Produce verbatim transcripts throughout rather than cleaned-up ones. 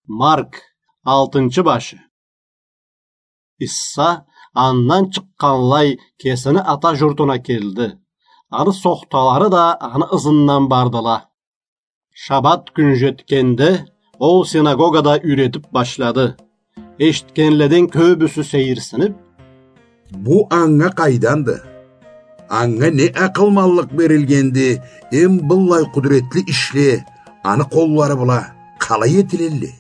Марк, алтынчы башы. Иса андан чыкъгъанлай кесини ата журтуна келди. Аны сохталары да аны ызындан бардыла. Шабат кюн жетгенде, ол синагогада юйретип башлады. Эшитгенледен кёбюсю сейирсинип: «Бу анга къайданды? Анга не акъылманлыкъ берилгенди, эм быллай къудуретли ишле аны къоллары бла къалай этилелле?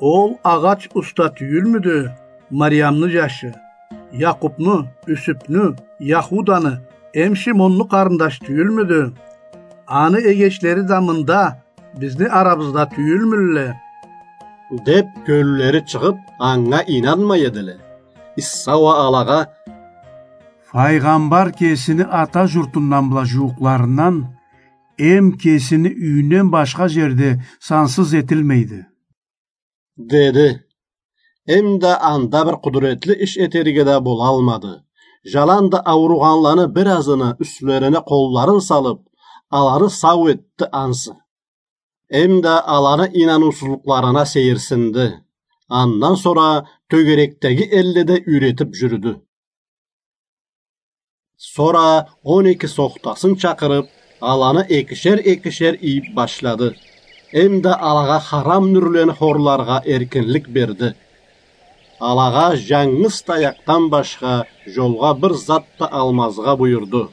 Ол агъач уста тюйюлмюдю, Мариямны жашы, Якъубну, Юсюпню, Яхуданы, эм Шимонну къарындаш тюйюлмюдю? Аны эгечлери да мында, бизни арабызда тюйюлмюлле?» — деп, кёллери чыгъып, анга ийнанмай эдиле. Иса уа алагъа: «Файгъамбар кесини ата журтундан бла жууукъларындан, эм кесини юйюнден башха жерде сансыз этилмейди», — деди. Эм да анда бир къудуретли иш этерге да болалмады. Жаланда ауругъанланы биразыны юслерине къолларын салып, аланы сау этди ансы. Эм да аланы ийнаныусузлукъларына сейирсинди. Андан сора тёгерекдеги элледе юйретип жюрюдю. Сора он эки сохтасын чакъырып, аланы экишер-экишер ийип башлады. Эм да алагъа харам нюрлени хорларгъа эркинлик берди. Алагъа жангыз таякъдан башха жолгъа бир зат да алмазгъа буюрду.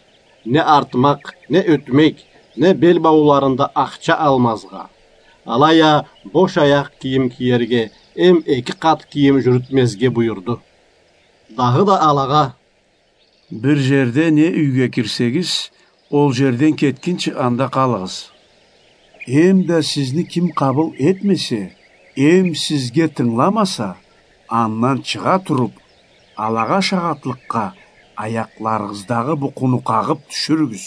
Не артмакъ, не ётмек, не бел бауларында ахча алмазгъа. Алай а бош аякъ кийим киерге эм эки къат кийим жюрютмезге буюрду. Дагъыда алагъа: «Бир жерде не юйге кирсегиз, ол жерден кетгинчи анда къалыгъыз. Эм да сизни ким къабыл этмесе, эм сизге тынгыламаса, андан чыгъа туруп, алагъа шагъатлыкъгъа аякъларыгъыздагъы букъуну къагъып тюшюрюгюз.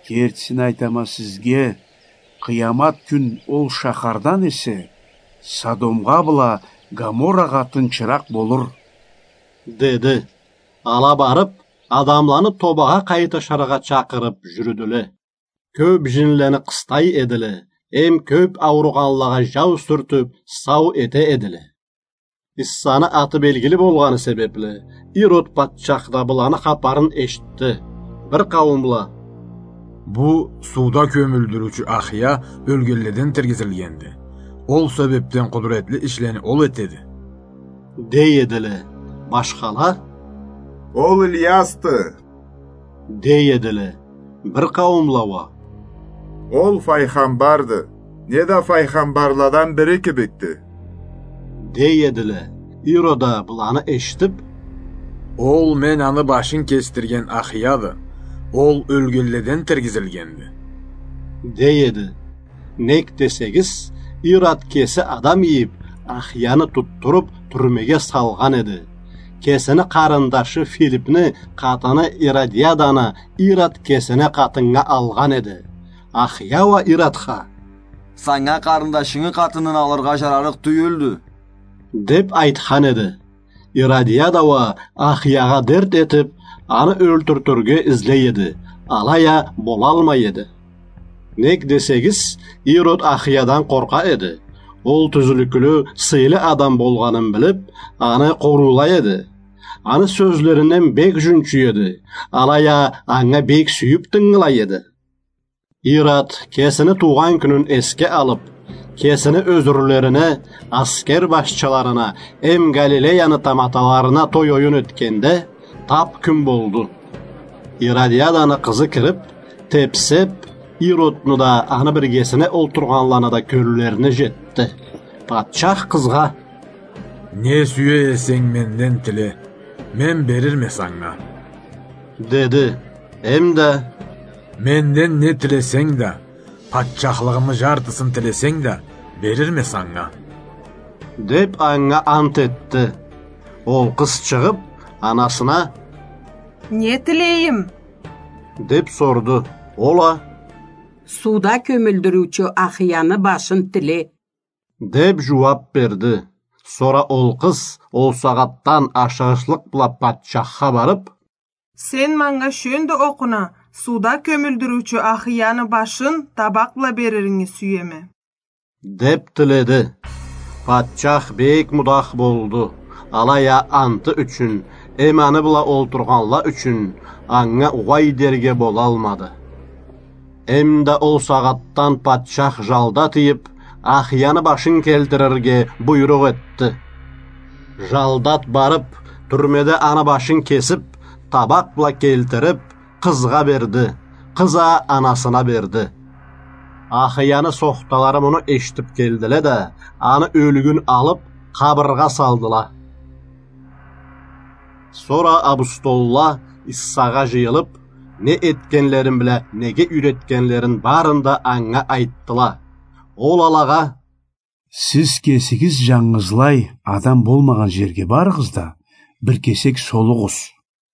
Кертисин айтама сизге, къыямат кюн ол шахардан эсе Содомгъа бла Гоморрагъа тынчыракъ болур», — деди. Ала барып, адамланы тобагъа къайтышыргъа чакъырып жюрюдюле. Кёп жинлени къыстай эдиле, эм кёп ауругъанлагъа жау сюртюп, сау эте эдиле. Иссаны аты белгили болгъаны себепли, Ирод патчах да быланы хапарын эшитди. Бир къауумла: «Бу сууда кёмюлдюрюучю Ахия ёлгенледен тиргизилгенди. Ол себепден къудуретли ишлени ол этеди», — дей эдиле. Башхала: «Ол Ильясды», — дей эдиле. Бир къауумла уа: «Ол файгъамбарды, неда файгъамбарладан бири кибикди», — дей эдиле. Ирод а быланы эшитип: «Ол мен аны башын кесдирген Ахияды. Ол ёлгенледен тиргизилгенди», — дей эди. Нек десегиз, Ирод кеси адам ийип, Ахияны тутдуруп, тюрмеге салгъан эди. Кесини къарындашы Филипни къатыны Иродиаданы Ирод кесине къатыннга алгъан эди. Ахия уа Иродха: «Санга къарындашынгы къатынын алыргъа жарарыкъ тюйюлдю», — деп айтхан эди. Иродиада уа Ахиягъа дерт этип, аны ёлтюртюрге излей эди, алай а болалмай эди. Нек десегиз, Ирод Ахиядан къоркъа эди. Ол тюзлюклю, сыйлы адам болгъанын билип, аны къоруулай эди. Аны сёзлеринден бек жюнчюй эди, алай а анга бек сюйюп тынгылай эди. Ирод кесини туугъан кюнюн эсге алып, кесини ёзюрлерине, аскер башчыларына эм Галилеяны таматаларына той-оюн этгенде, тап кюн болду. Иродиаданы къызы кирип, тепсеп, Иродну да, аны биргесине олтургъанланы да кёллерине жетди. Патчах къызгъа: «Не сюе эсенг, менден тиле, мен берирме санга», — деди. Эм да: «Менден не тилесенг да, патчахлыгъымы жартысын тилесенг да, берирме санга», — деп анга ант этди. Ол къыз чыгъып, анасына: «Не тилейим?» — деп сорду. Ол а: «Сууда кёмюлдюрюучю Ахияны башын тиле», — деп жууап берди. Сора ол къыз ол сагъатдан ашыгъышлыкъ бла патчахха барып: «Сен манга шёндю окъуна сууда кёмюлдюрюучю Ахияны башын табакъ бла бериринги сюеме», — деп тиледи. Патчах бек мудах болду. Алай а анты ючюн, эм аны бла олтургъанла ючюн анга угъай дерге болалмады. Эм да ол сагъатдан патчах жалдат ийип, Ахияны башын келтирирге буйрукъ этди. Жалдат барып, тюрмеде аны башын кесип, табакъ бла келтирип, къызгъа берди. Къыз а анасына берди. Ахияны сохталары муну эшитип келдиле да, аны ёлюгюн алып, къабыргъа салдыла. Сора апостолла Иссагъа жыйылып, не этгенлерин бла неге юйретгенлерин барын да анга айтдыла. Ол алагъа: «Сиз кесигиз жангызлай адам болмагъан жерге барыгъыз да, бир кесек солугъуз»,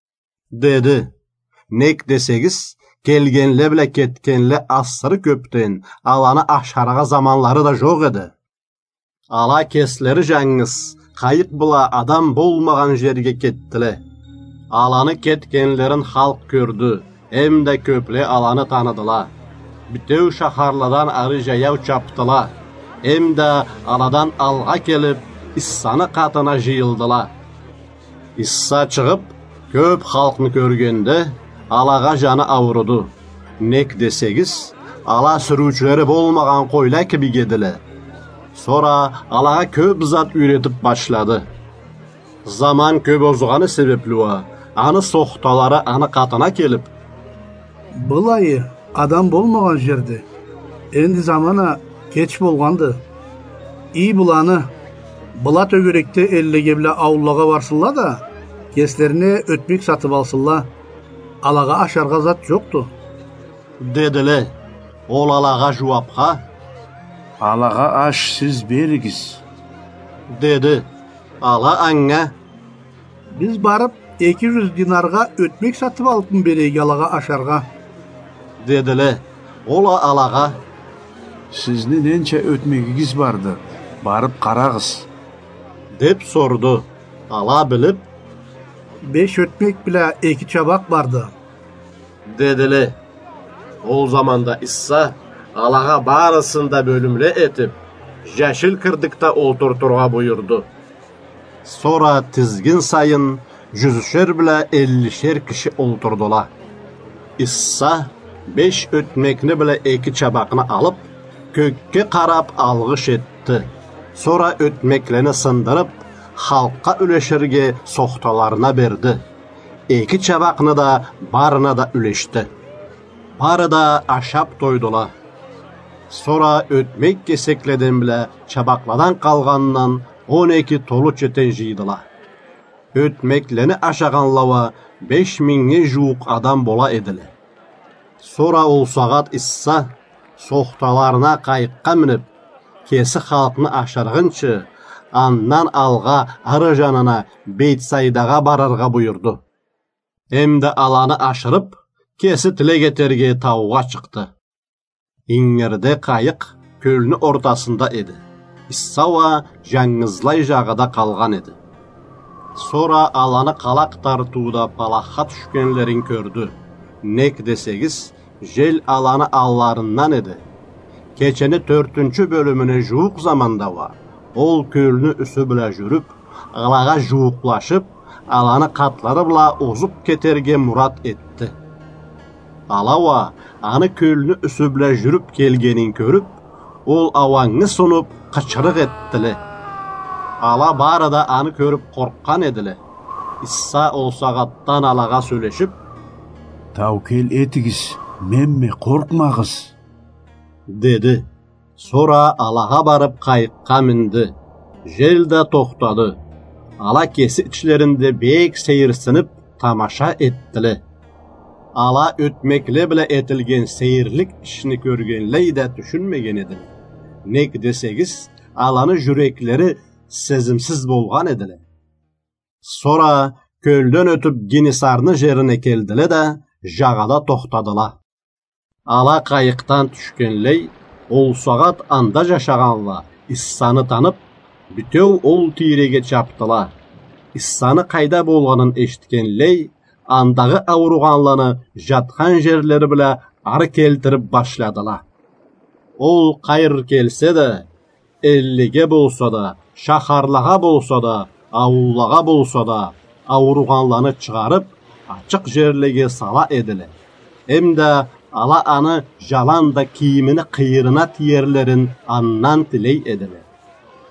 — деди. Нек десегиз, келгенле бла кетгенле асыры кёпден, аланы ашаргъа заманлары да жокъ эди. Ала кеслери жангыз, къайыкъ бла адам болмагъан жерге кетдиле. Аланы кетгенлерин халкъ кёрдю, эм да кёпле аланы таныдыла. Битеу шахарладан ары жаяу чапдыла, эм да аладан алгъа келип, Иссаны къатына жыйылдыла. Исса чыгъып, кёп халкъны кёргенде, алагъа жаны ауруду. Нек десегиз, ала сюрюучюлери болмагъан къойла кибик эдиле. Сора алагъа кёп зат юйретип башлады. Заман кёп озгъаны себепли уа, аны сохталары аны къатына келип: «Былайы адам болмагъан жерди. Энди заман а кеч болгъанды. Ий быланы, была тёгерекде эллеге бла аууллагъа барсынла да, кеслерине ётмек сатып алсынла. Алагъа ашаргъа зат жокъду», — дедиле. Ол алагъа жууапха: «Алагъа аш сиз беригиз», — деди. Ала анга: «Биз барып, эки жюз динаргъа ётмек сатып алыпмы берейик алагъа ашаргъа?» — дедиле. Ол а алагъа: «Сизни ненча ётмегигиз барды, барып къарагъыз», — деп сорду. Ала билип: «Беш ётмек бла эки чабакъ барды», — дедиле. Ол заманда Исса алагъа барысын да бёлюмле этип, жашил кирдикде олтуртургъа буюрду. Сора тизгин сайын жюзюшер бла эллишер киши олтурдула. Исса беш ётмекни бла эки чабакъны алып, кёкге къарап алгъыш этди. Сора ётмеклени сындырып, халкъгъа юлеширге сохталарына берди. Эки чабакъны да барына да юлешди. Бары да ашап тойдула. Сора ётмек кесекледен бла чабакъладан къалгъандан он эки толу четен жыйдыла. Ётмеклени ашагъанла уа беш мингнге жууукъ адам бола эдиле. Сора ол сагъат Исса сохталарына къайыкъгъа минип, кеси халкъны ашыргъынчы, андан алгъа ары жанына Бейтсайдагъа барыргъа буюрду. Эм да аланы ашырып, кеси тилек этерге таугъа чыкъды. Ингирде къайыкъ кёлню ортасында эди. Исса уа жангызлай жагъада къалгъан эди. Сора аланы къалакъ тартыуда палахха тюшгенлерин кёрдю. Нек десегиз, жел аланы алларындан эди. Кечени тёртюнчю бёлюмюне жууукъ заманда уа ол кёлню юсю бла жюрюп, алагъа жууукълашып, аланы къатлары бла озуп кетерге мурат этди. Ала уа аны кёлню юсю бла жюрюп келгенин кёрюп, ол ауангы сунуп, къычырыкъ этдиле. Ала бары да аны кёрюп къоркъгъан эдиле. Исса ол сагъатдан алагъа сёлешип: «Таукел этигиз, менме, къоркъмагъыз», — деди. Сора алагъа барып къайыкъгъа минди. Жел да тохтады. Ала кеси ичлеринде бек сейирсинип, тамаша этдиле. Ала ётмекле бла этилген сейирлик ишни кёргенлей да тюшюнмеген эдиле. Нек десегиз, аланы жюреклери сезимсиз болгъан эдиле. Сора кёлден ётюп, Генесарны жерине келдиле да, жагъада тохтадыла. Ала къайыкъдан тюшгенлей, ол сагъат анда жашагъанла Иссаны танып, битеу ол тийреге чапдыла. Иссаны къайда болгъанын эшитгенлей, андагъы ауругъанланы жатхан жерлери бла ары келтирип башладыла. Ол къайры келсе да, Эллеге болса да, шахарлагъа болса да, аууллагъа болса да, ауругъанланы чыгъарып, ачыкъ жерлеге сала эдиле. Эмда ала аны жаланда кийимини къыйырына тиерлерин андан тилей эдиле.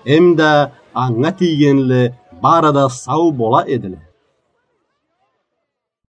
Эмда анга тийгенле бары да сау бола эдиле.